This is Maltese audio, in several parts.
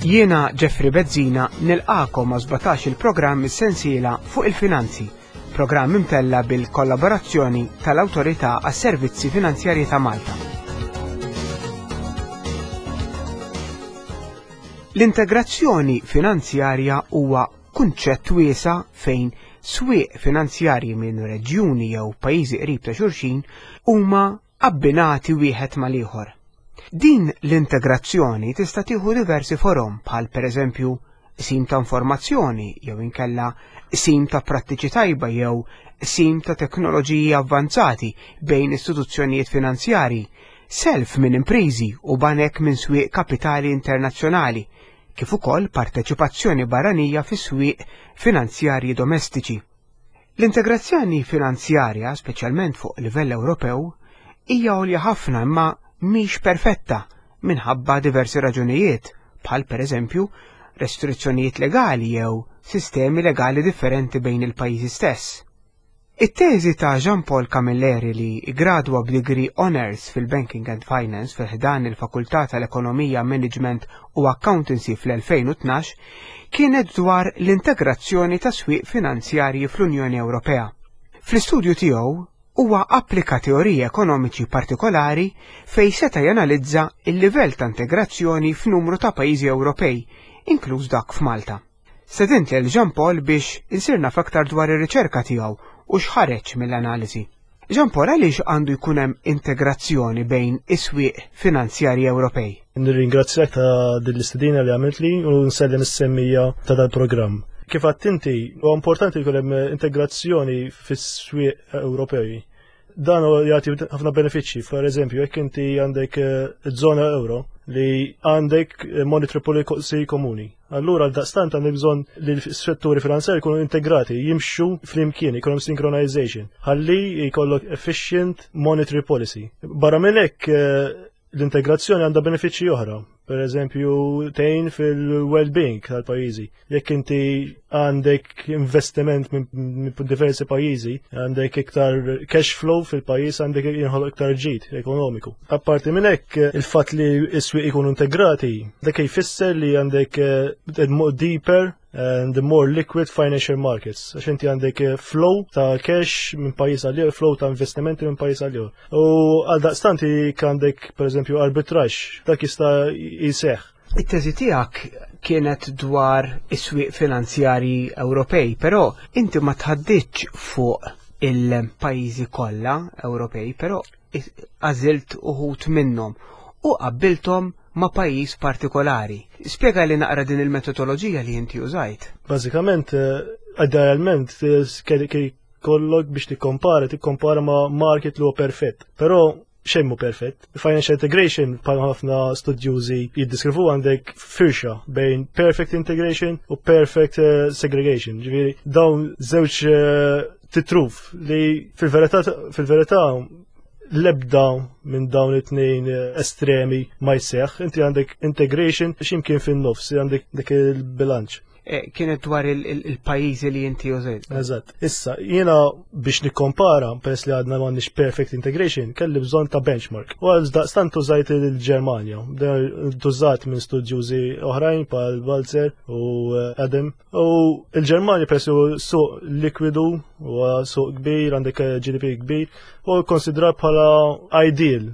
Jiena Jeffrey Bezzina nilqakom ma' 17 il-programm is-sensiela fuq il-finanzi, programm imtella bil-kollaborazzjoni tal-Awtorità għas-Servizzi Finanzjarji ta' Malta. L-integrazzjoni finanzjarja huwa kunċett wiesa' fejn swieq finanzjarji minn reġjuni jew pajjiżi qrib ta' xulxin huma abbinati wieħed mal-ieħor. Din l-integrazzjoni tista' tieħu diversi forom bħal pereżempju qsim ta' informazzjoni jew inkella qsim ta' prattiċi tajba jew qsim ta' teknoloġiji avvanzati bejn istituzzjonijiet finanzjarji, self minn impriżi u banek minn swieq kapitali internazzjonali, kif ukoll parteċipazzjoni barranija fi swieq finanzjarji domestiċi. L-integrazzjoni finanzjarja, speċjalment fuq livell Ewropew, hija għolja ħafna imma mhix perfetta minħabba diversi raġunijiet, bħal pereżempju restrizzjonijiet legali jew sistemi legali differenti bejn il-pajjiżi stess. It-teżi ta' Jean Paul Camilleri li ggradwa b'degree Honours fil-Banking and Finance fi ħdan il-Fakultà tal-Ekonomija, Management u Accountancy fl-2012 kienet dwar l-integrazzjoni ta' swieq finanzjarji fl-Unjoni Ewropea. Fl-istudju tiegħu huwa applika teoriji ekonomiċi partikolari fejn seta' janalizza l-livell ta' integrazzjoni f'numru ta' pajjiżi Ewropej, inkluż dak f'Malta. Stedint lil Jean Paul biex insir naf aktar dwar ir-riċerka tiegħu u x'ħareġ mill-analiżi. Jean Paul għaliex għandu jkun hemm integrazzjoni bejn is-swieq finanzjarji Ewropej? Nirringrazzjak ta' din l-istedina li għamiltli u nsellem is-semmija ta' dal-programm. Kif għedt inti, huwa importanti jkun hemm integrazzjoni fis-swieq Ewropej. Dan jagħti ħafna benefiċċji. Per eżempju, jekk inti għandek eh, żona euro li għandek eh, monetary policy komuni. Allura daqstant għandek bżonn li l-setturi finanzjari jkunu integrati, jimxu flimkien, jkunu synchronization, ħalli jkollok efficient monetary policy. Barra minn hekk eh, l-integrazzjoni għandha benefiċċji oħra. Per eżempju, tgħin fil-well-being tal-pajjiżi. Jekk inti għandek investiment minn diversi pajjiżi, għandek iktar cash flow fil-pajjiż, għandek jinħoloq iktar ġid ekonomiku. Apparti minn hekk, il-fatt li s-swieq ikunu integrati, dak jfisser li għandek eh, deeper and the more liquid financial markets. Għax inti għandek eh, flow ta' cash minn pajjiż għal flow ta' investimenti minn pajjiż għal U għal daqstant għandek per eżempju arbitraġġ, dak jista' jseħħ. It-teżi tiegħek kienet dwar is-swieq finanzjarji Ewropej, però inti ma tħadditx fuq il-pajjiżi kollha Ewropej, però għażilt uħud minnhom u qabbilthom ma' pajjiż partikolari. Spjega li naqra din il-metodoloġija li inti użajt. Bażikament, eh, idealment, eh, kollok biex tikkompara, tikkompara ma' market li huwa perfett. Però xejn mhu perfett. Financial integration bħal ħafna studjużi jiddiskrivu għandek firxa bejn perfect integration u perfect eh, segregation. Ġifieri dawn żewġ titruf li fil-verità fil-verità l-ebda minn dawn it-tnejn eh, estremi ma jseħħ, inti għandek integration x'imkien fin-nofs, għandek dik il-bilanċ. Eh, kienet dwar il-pajjiżi li inti użajt. Eżatt. Issa, jiena biex nikkompara, peress li għadna m'għandniex perfect integration, kelli bżonn ta' benchmark. U għal daqstant użajt il-Ġermanja. Tużat minn studjużi oħrajn bħal Balzer u eh, Adam U il-Ġermanja peress li suq likwidu u suq kbir, għandek eh, GDP kbir, u konsidrat bħala ideal.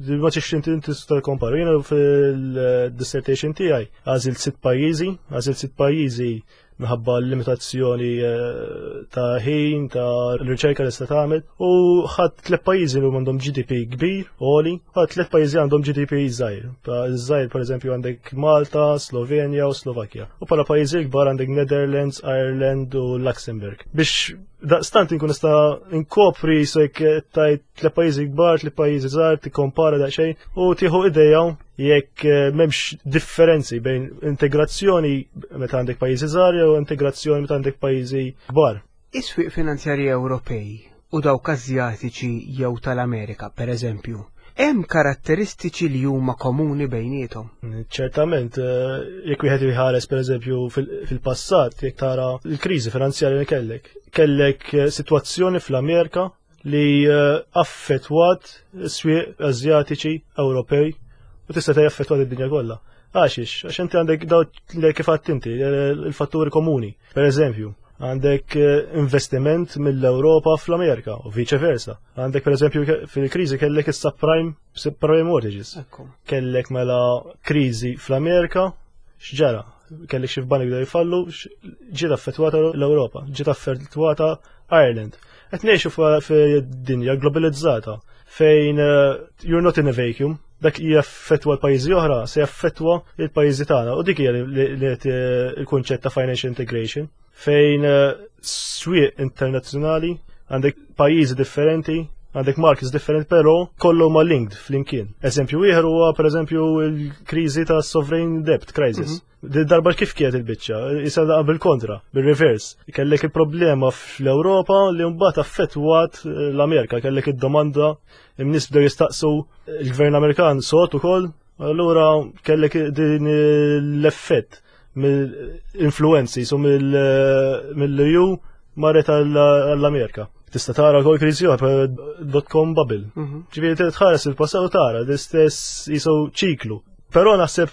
Ma tix inti tista' kompara. Jiena fil-dissertation tiegħi għażilt sitt pajjiżi, għażilt sitt pajjiżi minħabba l-limitazzjoni eh, ta' ħin, ta' riċerka li sta tagħmel, u ħadd tliet pajjiżi li għandhom GDP kbir, għoli, ħadd tliet pajjiżi għandhom GDP żgħir. Żgħir pereżempju għandek Malta, Slovenja u Slovakkja. U bħala pajjiżi kbar għandek Netherlands, Ireland u Luxembourg. Biex daqstant inkun nista' nkopri sek tajt tliet pajjiżi kbar, tliet pajjiżi żgħar, tikkompara daqsxejn u tieħu idea jekk eh, m'hemmx differenzi bejn integrazzjoni meta għandek pajjiżi żgħar jew integrazzjoni meta għandek pajjiżi kbar. Is-swieq finanzjarji Ewropej u dawk Asjatiċi jew tal-Amerika, per eżempju, hemm karatteristiċi li huma komuni bejniethom? Ċertament, eh, jekk wieħed jħares per eżempju fil-passat, jekk tara l-kriżi finanzjarja li kellek, kellek eh, sitwazzjoni fl-Amerika li eh, affettwat swieq Asjatiċi, Ewropej. U tista' jaffettwa d-dinja kollha. Għaxiex, għax inti għandek daw kif għadt inti, il-fatturi komuni. Per eżempju, għandek investiment mill-Ewropa fl-Amerika u vice versa. Għandek per eżempju fil-kriżi kellek is-subprime subprime mortgages. Kellek mela kriżi fl-Amerika, x'ġara? Kellek xi banek bdew jfallu, ġiet affettwata l-Ewropa, ġiet affettwata Ireland. Qed ngħixu fid-dinja globalizzata fejn you're not in a vacuum, dak jaffettwa l-pajjiżi oħra se jaffettwa l-pajjiżi tagħna u dik hija li il-kunċett ta' financial integration fejn swieq internazzjonali għandek pajjiżi differenti, għandek markets differenti, però kollu ma linked flimkien. Eżempju ieħor huwa pereżempju l-kriżi ta' sovereign debt crisis. Darba kif kienet il-biċċa, issa bil-kontra, bil-reverse. Kellek il-problema fl-Ewropa li mbagħad affettwat l-Amerika, kellek id-domanda in-nies bdew jistaqsu il-gvern Amerikan sot ukoll, allura kellek din l-effett mill-influenzi so mill-EU marret għall-Amerika. Tista' tara wkoll kriżi oħra dot-com bubble. Ġifieri tħares il-passat u tara l-istess jisu ċiklu. Però naħseb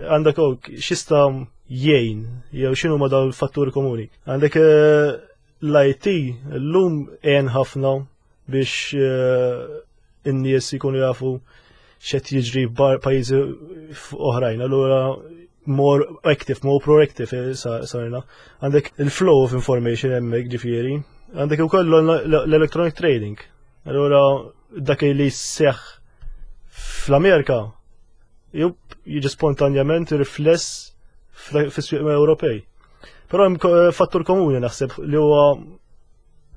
għandek x'jista' jgħin jew x'inhu ma dawn il-fatturi komuni. Għandek l-IT llum għen ħafna biex in-nies jkunu jafu x'qed jiġri pajjiżi oħrajn. Allura more active, more proactive sarna. Għandek il-flow of information hemmhekk ġifieri. Għandek ukoll l-electronic trading. Allura dak li seħ fl-Amerika jiġi spontanjament rifless fis-swieq Ewropej. Però hemm fattur komuni naħseb li huwa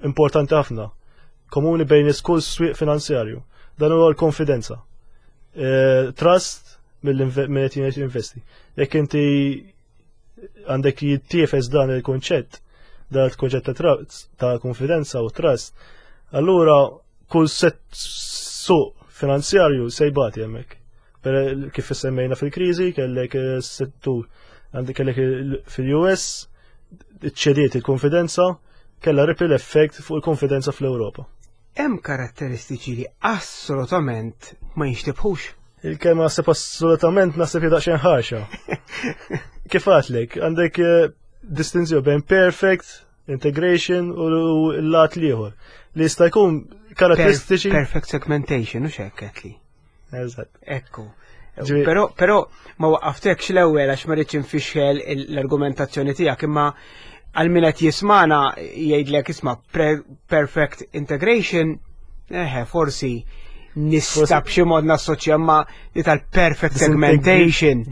importanti ħafna. Komuni bejn kull swieq finanzjarju. Dan huwa l-konfidenza. Trust mill qed investi. Jekk inti għandek jittiefes dan il-konċett, dan il-konċett ta' trust, ta' konfidenza u trust, allura kull set suq finanzjarju se jbati hemmhekk. Per kif semmejna fil-kriżi, kellek settur għandek kellek fil-US ċediet il-konfidenza, kella ripple effect fuq il-konfidenza fl-Ewropa. Hemm karatteristiċi li assolutament ma jinxtibħux. Il-kelma naħseb assolutament naħseb daqsxejn ħarxa. Kif għatlek, għandek distinzjoni bejn perfect integration u l-lat l-ieħor. Li jista' jkun karatteristiċi. Perfect segmentation, u xek li. Eżatt. Ekku. Però ma waqqaftekx l-ewwel għax ma rridx infixxel l-argumentazzjoni tiegħek, imma għal min qed jismana jgħidlek, isma', perfect integration, eħe, forsi nista' b'xi mod nassoċja ma li tal-perfect segmentation.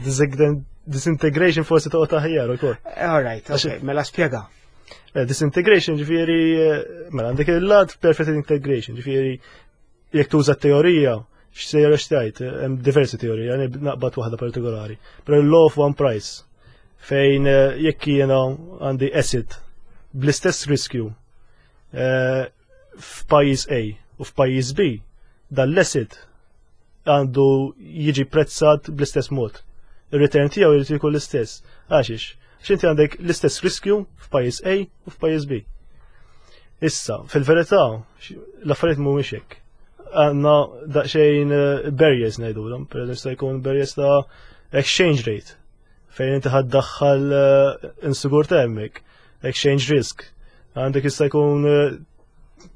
Disintegration forsi toqgħod aħjar ukoll. All right, okay, mela spjega. Disintegration ġifieri, mela għandek il-lat perfect integration, ġifieri jekk tuża teorija, x'sejra xtajt, hemm diversi teorija, jani naqbad waħda partikolari. Però l-law of one price, fejn jekk jiena għandi asset bl-istess riskju f'pajjiż A u f'pajjiż B, dan l-asset għandu jiġi prezzat bl-istess mod. Il-return tiegħu jrid jkun l-istess. Għaxiex? Għax inti għandek l-istess riskju f'pajjiż A u f'pajjiż B. Issa, fil-verità, l-affarijiet mhumiex hekk. Għandna daqsxejn barriers ngħidulhom, per eżempju jista' jkun barriers ta' exchange rate, fejn inti ħaddaħħal insigurtà hemmhekk, exchange risk. Għandek jista' jkun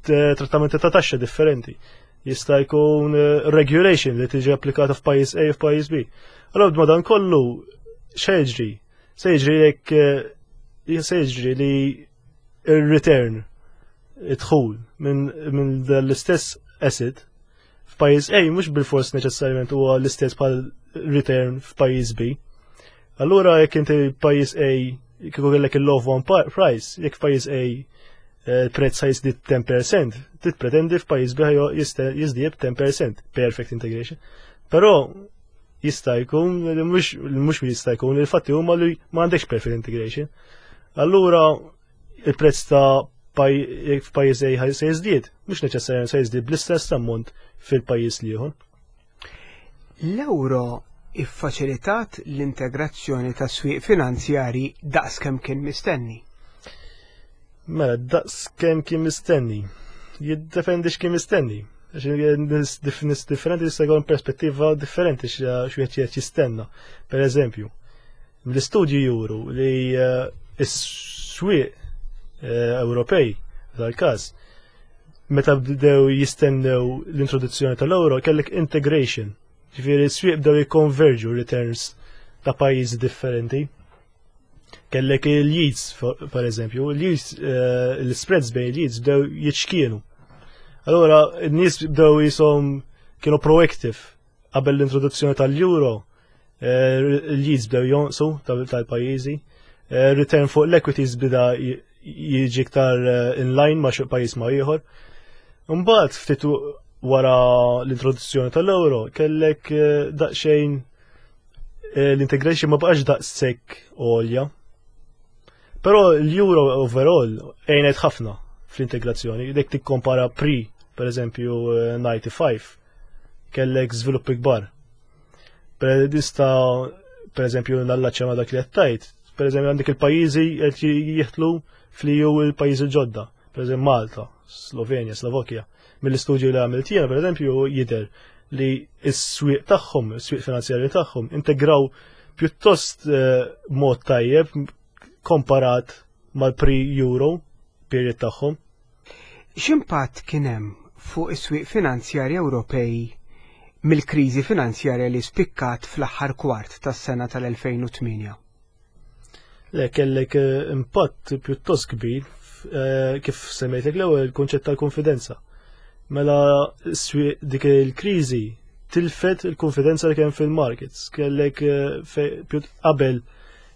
trattamenti ta' taxxa differenti. Jista' jkun regulation li tiġi applikata f'pajjiż A u f'pajjiż B. Allora ma dan kollu x'jiġri? Se jiġri jekk se jiġri li il-return id-dħul minn l-istess asset f'pajjiż A mhux bil-fors neċessarjament huwa l-istess bħal return f'pajjiż B. Allura jekk inti pajjiż A kieku kellek il-law of one price, jekk f'pajjiż A il-prezz ħa jiżdied 10%, titpretendi f'pajjiż B jiżdied 10%, perfect integration. Però jista' jkun li mhux jista' jkun, il-fatti huma li ma għandekx perfect integration. Allura il-prezz ta' f'pajjiż A se jiżdied, mhux neċessarjament se jiżdied bl-istess ammont fil-pajjiż l-ieħor. L-euro iffaċilitat l-integrazzjoni ta' swieq finanzjari daqs kemm kien mistenni. Mela, daqs kemm kien mistenni. Jiddependi x'kien mistenni. Nies differenti jista' jkollhom perspettiva differenti x'wieħed qed jistenna. Per eżempju, l-istudji juru li eh, s-swieq eh, Ewropej tal-każ meta bdew jistennew l-introduzzjoni tal-euro kellek integration. Ġifieri s-swieq bdew jikkonverġu returns ta' pajjiżi differenti. Kellek il-yields, per eżempju, il-yields, eh, l-spreads bejn il-yields bdew jiċkienu. Allora, n-nies bdew jisom kienu proactive qabel l-introduzzjoni tal-euro, eh, il-yields bdew jonqsu tal-pajjiżi, eh, return fuq l-equities bida jiġi iktar in line ma' xi pajjiż ma' ieħor. Imbagħad ftit wara l-introduzzjoni tal-euro kellek daqsxejn l-integration ma baqax daqshekk għolja. Però l-euro overall għenet ħafna fl-integrazzjoni. Dek tikkompara pre, per eżempju, 95, kellek żviluppi kbar. Per dista, per eżempju, nallaċċa ma dak li qed per eżempju għandek il-pajjiżi qed jieħtlu fl-EU il-pajjiżi ġodda, per eżempju Malta, Slovenja, Slovakkja. Mill-istudju li għamilt jiena, per eżempju, jidher li s-swieq tagħhom, is-swieq finanzjarji tagħhom integraw pjuttost eh, mod tajjeb komparat mal-pre-euro period tagħhom. X'impatt kien hemm fuq is-swieq finanzjarji Ewropej mill-kriżi finanzjarja li spikkat fl-aħħar kwart tas-sena tal-2008? Le, kellek eh, impatt pjuttost kbir eh, kif semmejtek l-ewwel il-kunċett tal-konfidenza. Mela dik il-kriżi tilfet il-konfidenza li kien fil-markets. Kellek eh, qabel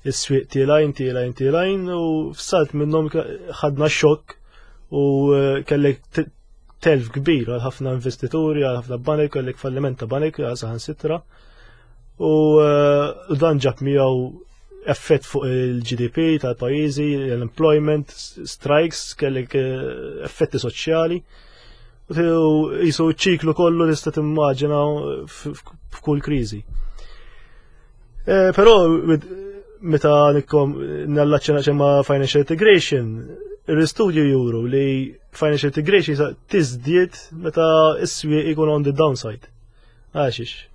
is-swieq tielajn, tielajn, tielajn u f'salt minnhom ħadna xokk u kellek telf kbir għal ħafna investituri, għal ħafna banek, kellek falliment ta' banek, għal saħansitra. U dan ġab miegħu effett fuq il-GDP tal-pajjiżi, l-employment, strikes, kellek eh, effetti soċjali. U jisu ċiklu kollu tista' timmaġina f'kull kriżi. Eh, però meta nikkom nallaċċena ċemma financial integration, l-istudju juru li financial integration tiżdied meta s-swieq ikun on the downside. Għaxiex?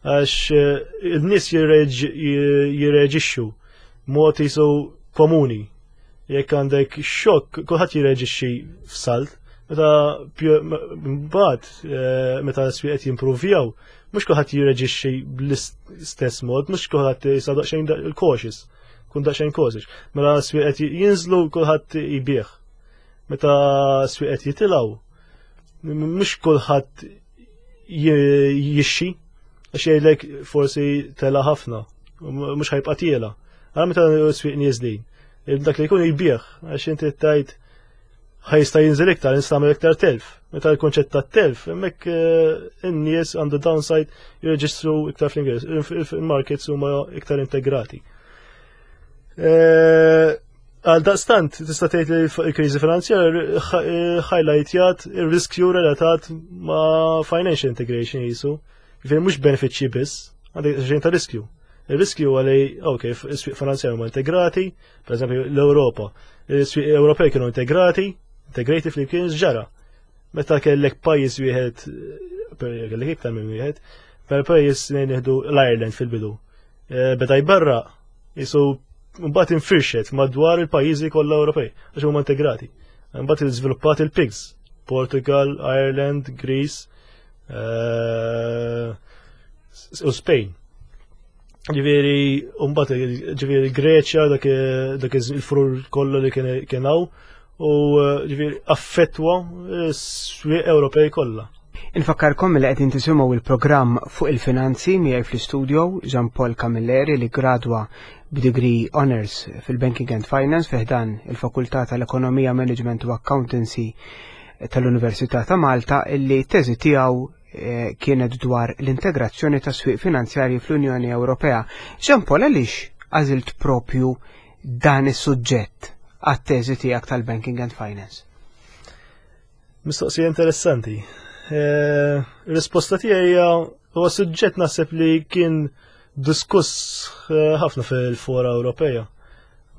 Għax eh, il-nies jirreġixxu mod jisu komuni. Jekk għandek xokk, kulħadd jirreġixxi f'salt. Meta mbagħad eh, meta s-swieq qed jimpruvjaw, mhux kulħadd jirreġixxi bl-istess mod, mhux kulħadd jisa daqsxejn il-cautious, kun daqsxejn cautious. Mela s-swieq qed jinżlu kulħadd jbigħ. Meta s-swieq qed jitilgħu, mhux kulħadd jixxi, għax jgħidlek forsi tela ħafna, mhux ħajbqa' tiela. Għara meta s-swieq nieżlin, dak li jkun jbigħ, għax inti tajt ħajsta jinżel iktar, nista' iktar telf. Meta l-konċett ta' telf, hemmhekk eh, in-nies għandu downside jirreġistru iktar fl-Ingliż, il-markets huma iktar integrati. Eh, Għal daqstant, tista' tgħid li l-kriżi finanzjarja highlightjat ir-riskju relatat ma' financial integration jisu. Ġifieri mhux benefiċċji biss, għandek xejn ta' riskju. Ir-riskju huwa li, ok, is-swieq finanzjarji huma integrati, per eżempju l-Ewropa, is-swieq Ewropej kienu integrati, integrati flimkien ġara. Meta kellek pajjiż wieħed, kellek iktar minn wieħed, per pajjiż nieħdu l-Ireland fil-bidu. Eh, beda jbarra jisu mbagħad infirxet madwar il-pajjiżi kollha Ewropej għax huma integrati. Mbagħad iżviluppat il-PIGS, Portugal, Ireland, Greece eh, u Spain. Ġifieri mbagħad ġifieri Greċja dak il-furur kollu li kien hawn u eh, ġifieri affettwa s-swieq Ewropej kollha. Infakkarkom li qegħdin tisimgħu il-programm fuq il-finanzi miegħi fl-istudio Jean Paul Camilleri li gradwa b'degree Honors fil-Banking and Finance fi ħdan il-Fakultà tal-Ekonomija, Management u Accountancy tal-Università ta' Malta illi teżi tiegħu eh, kienet dwar l-integrazzjoni ta' swieq finanzjarji fl-Unjoni Ewropea. Jean Paul għaliex għażilt propju dan is-suġġett għat-teżi tiegħek tal-Banking and Finance? Mistoqsija interessanti. Eh, risposta tiegħi hija huwa suġġett naħseb li kien diskuss eh, ħafna fil-fora Ewropea.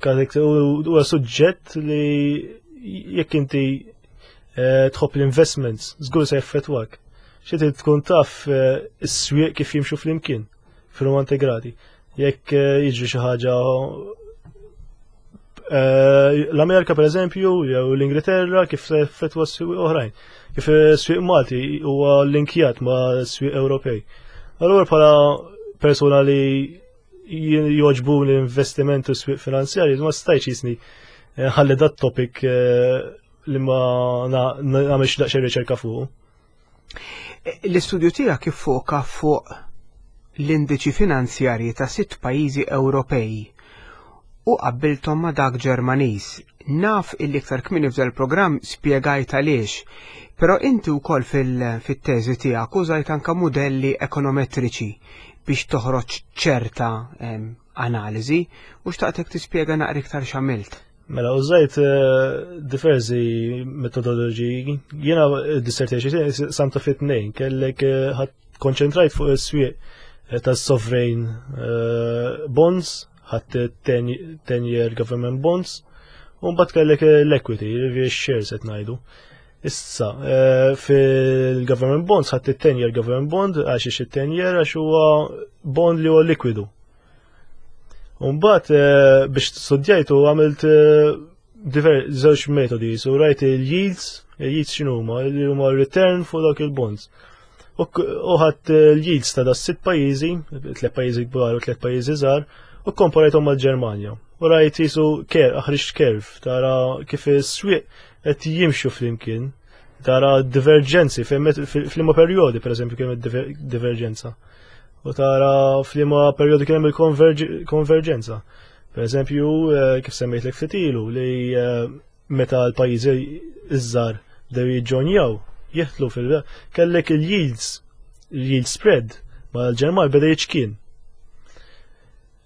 Huwa suġġett li jekk inti Tħobb l-investments, żgur se jaffettwak. Xi trid tkun taf is-swieq kif jimxu flimkien, fil integrati. Jekk jiġri xi ħaġa l-Amerika per eżempju, jew l-Ingilterra kif se jaffettwa s-swieq oħrajn. Kif s-swieq Malti huwa linkjat ma' s-swieq Ewropej. Allura bħala persuna li jogħġbu l-investiment u s-swieq finanzjarji, ma stajtx jisni ħalli dat topic li ma nagħmilx daqsxejn riċerka fuq. L-istudju tiegħek iffoka fuq l-indiċi finanzjarji ta' sitt pajjiżi Ewropej u qabbilthom ma' dak Ġermaniż. Naf illi iktar kmieni f'dan il-programm spjegajt għaliex, però inti wkoll fit-teżi tiegħek użajt anke mudelli ekonometriċi biex toħroġ ċerta analiżi u xtaqtek tispjega naqra iktar x'għamilt. Mela, użajt diversi metodoloġiji. Jiena dissertation samta fit tnejn, kellek ħadd konċentrajt fuq is-swieq tas-sovereign bonds, ħadd 10-year government bonds, u mbagħad kellek l-equity, jiġifieri shares qed ngħidu. Issa, fil-government bonds ħadd 10-year government bond għax ix 10-year għax huwa bond li huwa likwidu. Mbagħad biex studjajtu għamilt żewġ metodi, so rajt il-yields, il-yields x'inhuma, li huma return fuq dawk il-bonds. U ħadd il-yields ta' das sitt pajjiżi, tliet pajjiżi kbar u tliet pajjiżi żgħar, u komparajthom mal-Ġermanja. U rajt jisu ħriġt curve, tara kif is-swieq qed jimxu flimkien, tara divergenzi f'liema perjodi, per eżempju, kien hemm divergenza. U tara f'liema perjodi kien hemm il-konverġenza. Per eżempju, kif semmejtlek ftit ilu li meta l-pajjiżi iż-żgħar bdew jiġġonjaw, jieħdlu fil kellek il-yields, il-yield spread ma l-Ġermal beda jiċkien.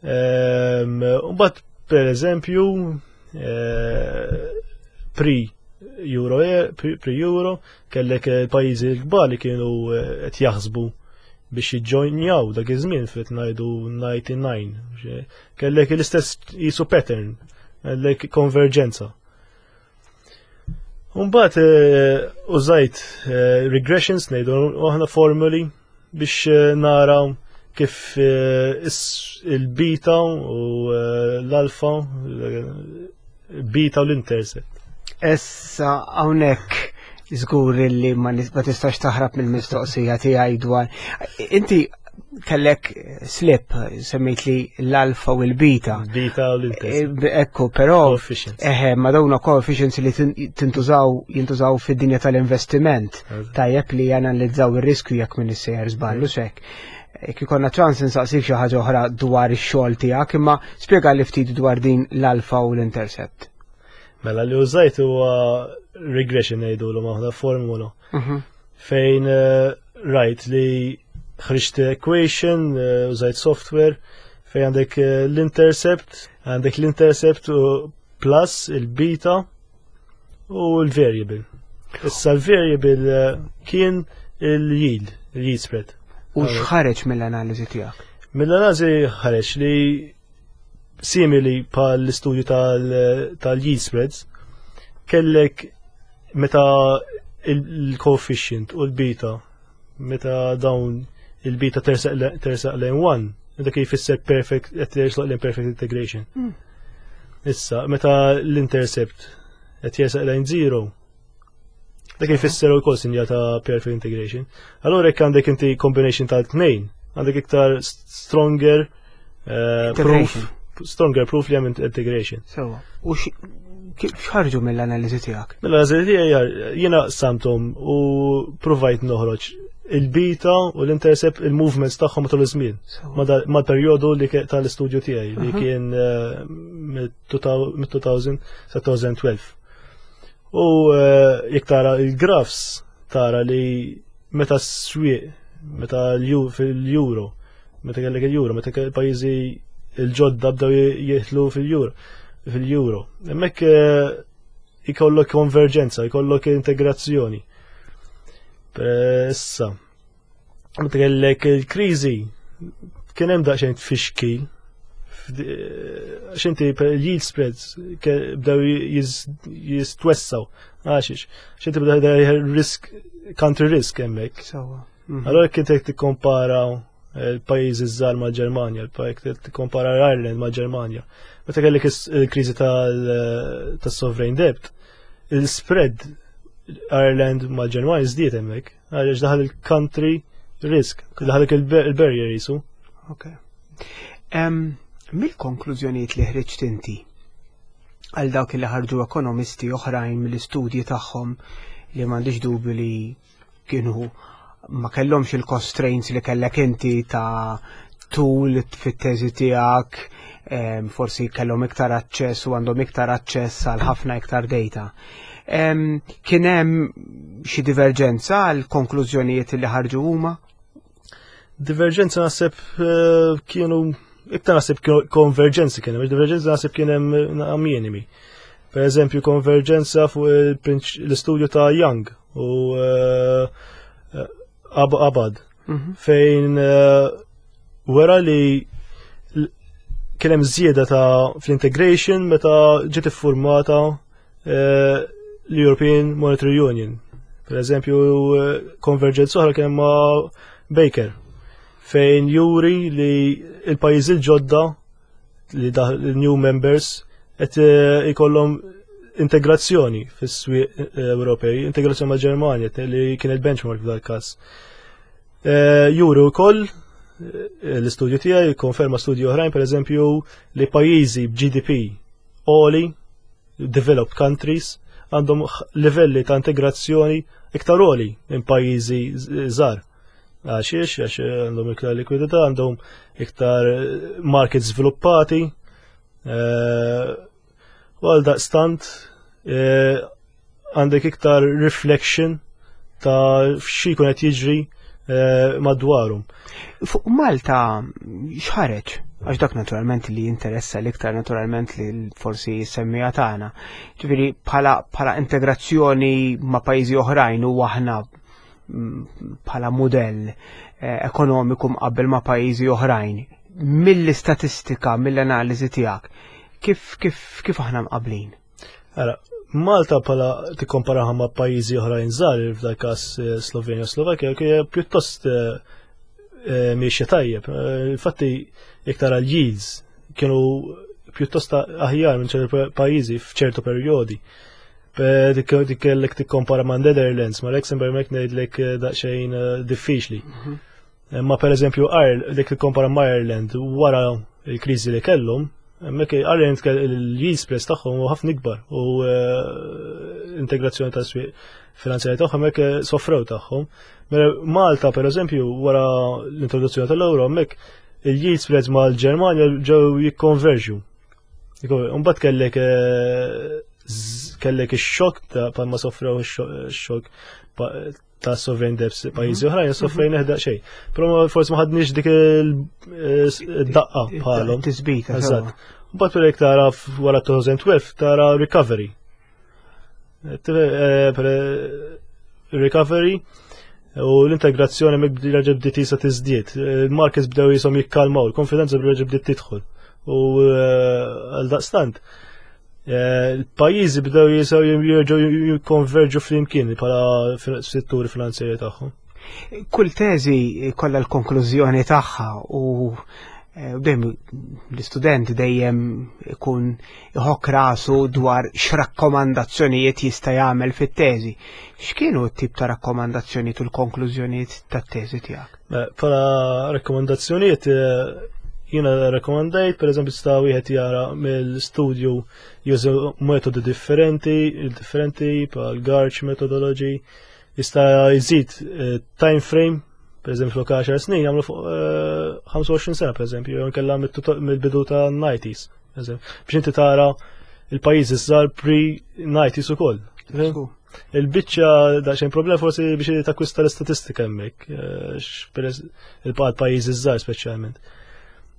Mbagħad per eżempju, pre-euro, pre-euro, kellek il-pajjiżi l-kbar li kienu qed jaħsbu biex jiġġojnjaw dak iż-żmien fit ngħidu 99. Kellek l-istess jisu pattern, kellek konverġenza. Mbagħad użajt regressions ngħidu aħna formuli biex nara kif il-beta u l-alfa, beta u l-intercept. Issa hawnhekk żgur li ma tistax taħrab mill-mistoqsija tiegħi dwar. Inti kellek slip, semmejt li l-alfa u l-beta. Beta u l-intercept. Ekku, però Coefficients. Eħe, ma dawna coefficients li jintużaw fid-dinja tal-investiment. Tajjeb li janalizzaw ir-riskju jekk min issejjer żballu xek. Jekk ikollna ċans insaqsik xi ħaġa oħra dwar ix-xogħol tiegħek, imma spjega li ftit dwar din l-alfa u l-intercept. Mela li użajt huwa regression ngħidulu aħna formula. Fejn rajt li ħriġt equation, użajt software, fejn għandek l-intercept, għandek l-intercept u plus il-beta u l-variable. Issa l-variable kien il-yield, il-yield spread. U x'ħareġ mill-analiżi tiegħek? Mill-analiżi ħareġ li simili pa l-istudju tal-yield spreads, kellek meta il-coefficient u l-beta, meta dawn il-beta tersaq lejn 1, dak jfisser perfect, qed tersaq lejn perfect integration. Issa, meta l-intercept qed jersaq lejn 0, dak jfisser ukoll sinjal ta' perfect integration. Allora jekk għandek inti combination tal-tnejn, għandek iktar stronger proof, Integration. stronger proof li hemm integration. Sewa. U kif x'ħarġu mill-analiżi tiegħek? Mill-analiżi tiegħi jiena samtom u provajt noħroġ il-beta u l-intercept il-movements tagħhom matul iż-żmien. Mal-perjodu li tal-istudju tiegħi li kien mit-2000 sa 2012. U jekk tara il-graphs tara li meta s-swieq, meta fil-euro, meta kellek il-euro, meta kellek pajjiżi il-ġodda bdew jieħlu fil-euro. Hemmhekk ikollok konverġenza, ikollok integrazzjoni. Issa, meta kellek il-kriżi, kien hemm daqsxejn tfixkil X'inti yield spreads bdew jistwessaw. Għaxiex, x'inti bdew risk country risk hemmhekk. Allora kien qed tikkompara l-pajjiżi żgħar mal-Ġermanja, l-pajjiż tikkompara Ireland mal-Ġermanja. Meta kellek il-kriżi tas-sovereign debt, il-spread Ireland mal-Ġermanja żdied hemmhekk, għaliex daħal il-country risk, daħal il-barrier jisu. Ok. Mill-konklużjonijiet li ħriġt inti għal dawk li ħarġu ekonomisti oħrajn mill-istudji tagħhom li m'għandix dubju li kienu ma kellhomx il-constraints li kellek inti ta' tul fit-teżi tiegħek, forsi kellhom iktar aċċess u għandhom iktar aċċess għal ħafna iktar data. Kien hemm xi diverġenza għal konklużjonijiet li ħarġu huma? Diverġenza naħseb kienu iktar naħseb konverġenzi kien hemm, diverġenza naħseb kien hemm minimi. Per eżempju, konverġenza fuq l-istudju ta' Young u Abad fejn wera li kien hemm żieda ta' fl-integration meta ġiet iffurmata l-European Monetary Union. Per eżempju, konverġenza oħra kien ma' Baker fejn juri li il-pajjiżi l-ġodda li new members qed ikollhom integrazzjoni fis-swieq Ewropej, integrazzjoni ma' Ġermanja li kienet benchmark f'dal każ. Juri wkoll l-istudju tiegħi konferma studju oħrajn, pereżempju, li pajjiżi b'GDP għoli, developed countries, għandhom livelli ta' integrazzjoni iktar għoli minn pajjiżi żgħar. Għaxiex, għax għandhom iktar likwidità, għandhom iktar markets sviluppati. U għal daqstant għandek iktar reflection ta' xi jkun qed jiġri madwarhom. Fuq Malta x'ħareġ? Għax dak naturalment li jinteressa l-iktar naturalment li forsi semmija tagħna. Ġifieri bħala integrazzjoni ma' pajjiżi oħrajn u aħna bħala mudell ekonomiku mqabbel ma' pajjiżi oħrajn. Mill-istatistika, mill-analiżi tiegħek, kif aħna mqablin? Ara, Malta bħala tikkomparaha ma' pajjiżi oħrajn żgħar, f'dak każ Slovenja u Slovakkja, hija pjuttost miexja tajjeb. Infatti, jekk tara l-yields kienu pjuttost aħjar minn ċertu pajjiżi f'ċertu perjodi. Dik kellek tikkompara ma' Netherlands, ma' Luxembourg mek ngħidlek daqsxejn diffiċli. Ma per eżempju, dik tikkompara ma' Ireland wara il-kriżi li kellhom, hemmhekk Ireland il-yield spreads tagħhom huwa ħafna ikbar u integrazzjoni ta' swieq finanzjarji tagħhom hekk soffrew tagħhom. Mela Malta per eżempju wara l-introduzzjoni tal-euro hemmhekk il-yield spreads mal-Ġermanja ġew jikkonverġu. Mbagħad kellek ix-xokk ta' palma soffrew ix-xokk ta' sovereign debts pajjiżi oħrajn, soffrejna xejn. Però forsi ma ħadniex dik il-daqqa bħalhom. Tisbita. Eżatt. Mbagħad per tara wara 2012 tara recovery. Recovery u l-integrazzjoni mek reġa' bdiet jisa tiżdied. Il-markets bdew jisom jikkalmaw, il-konfidenza reġa' bdiet tidħol. U għal daqstant, il-pajjiżi bdew jisaw jerġgħu jikkonverġu flimkien bħala setturi finanzjarji tagħhom. Kull teżi kollha l-konklużjoni tagħha u dejjem l-istudent dejjem ikun iħokk rasu dwar x'rakkomandazzjonijiet jista' jagħmel fit-teżi. X'kienu t-tip ta' rakkomandazzjonijiet u l-konklużjonijiet tat-teżi tiegħek? Bħala rakkomandazzjonijiet jiena rakkomandajt, per eżempju, sta wieħed jara mill-studju juża metodi differenti bħal GARCH methodology, jista' jżid time frame, per eżempju, flok 10 snin jagħmlu fuq 25 sena, per eżempju, jew inkella mill-bidu ta' 90s, per eżempju, biex inti tara il-pajjiżi żgħar pre-90s ukoll. Il-biċċa daqsxejn problem forsi biex takkwista l-istatistika hemmhekk, il-pajjiżi żgħar speċjalment.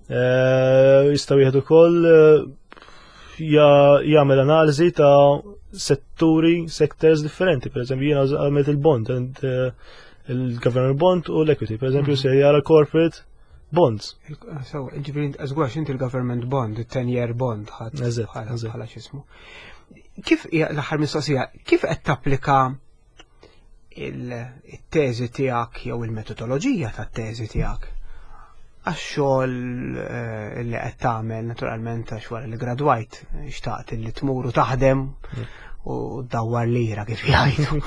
Jista' wieħed ukoll jagħmel analiżi ta' setturi, sectors differenti. Per eżempju, jiena għamilt il-bond, il-government bond u l-equity. Per eżempju, se jara corporate bonds. So, ġifieri żgwax inti l-government bond, il-10 year bond ħadd bħala x'ismu. Kif l-aħħar mistoqsija, kif qed tapplika il-teżi tiegħek jew il-metodoloġija tat-teżi tiegħek għax-xogħol li qed tagħmel naturalment għax wara li gradwajt xtaqt li tmur u taħdem u dawwar lira kif jgħidu.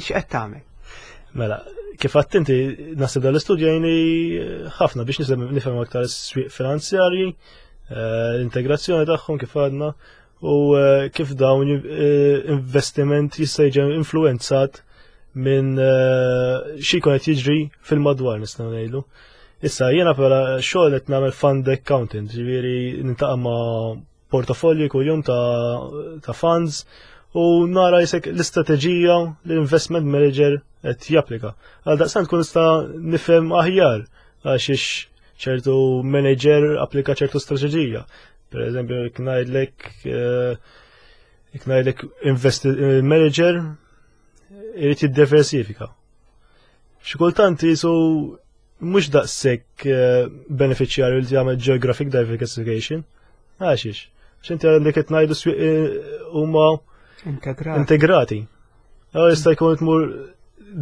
X'qed tagħmel? Mela, kif għedt inti naħseb dal-istudju jgħinni ħafna biex nifhem aktar is-swieq finanzjarji, l-integrazzjoni tagħhom kif għadna u kif dawn investiment jista' jiġi influenzat minn xi jkun qed jiġri fil-madwar nistgħu ngħidu. Issa jiena bħala xogħol qed nagħmel fund accountant, ġifieri niltaqa' ma' portafolji kuljum ta' funds u nara jisek l-istrateġija l-investment manager qed japplika. Għal daqstant kun nista' nifhem aħjar għax ċertu manager applika ċertu strateġija. Per eżempju, jekk ngħidlek manager irid jiddiversifika. Xi kultant jisu mhux daqshekk beneficjarju li jagħmel geographic diversification. Għaxiex? X'inti għandek qed ngħidu swieq huma integrati. Jista' jkun tmur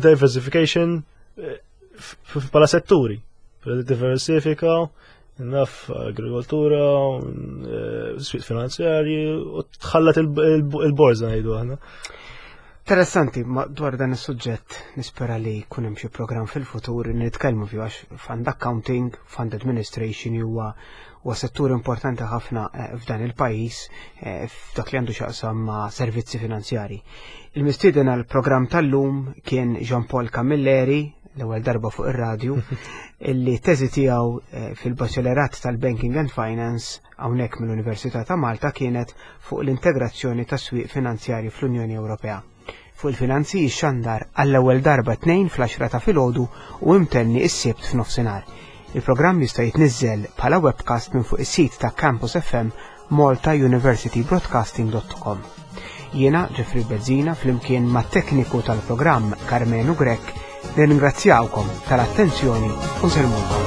diversification bħala setturi. Diversifika, naf agrikoltura, swieq finanzjarji u tħallat il-borza ngħidu aħna. Interessanti, ma dwar dan is-suġġett nispera li jkun hemm xi programm fil-futur li nitkellmu fih għax fund accounting, fund administration huwa settur importanti ħafna f'dan il-pajjiż f'dak li għandu x'jaqsam ma' servizzi finanzjari. Il-mistieden għal programm tal-lum kien Jean Paul Camilleri, l-ewwel darba fuq ir-radju, illi teżi tiegħu fil-Baċellerat tal-Banking and Finance hawnhekk mill-Università ta' Malta kienet fuq l-integrazzjoni ta' swieq finanzjari fl-Unjoni Ewropea. Fuq il-finanzi jixxandar għall-ewwel darba 2 fl-10 ta' filgħodu u imtenni is-Sibt f'nofsinhar. Il-programm jista' jitniżżel bħala webcast minn fuq is-sit ta' Campus FM maltauniversitybroadcasting.com. Jiena Jeffrey Bezzina flimkien ma' tekniku tal-programm Carmenu Grech nirringrazzjawkom tal-attenzjoni u nsellmulkom.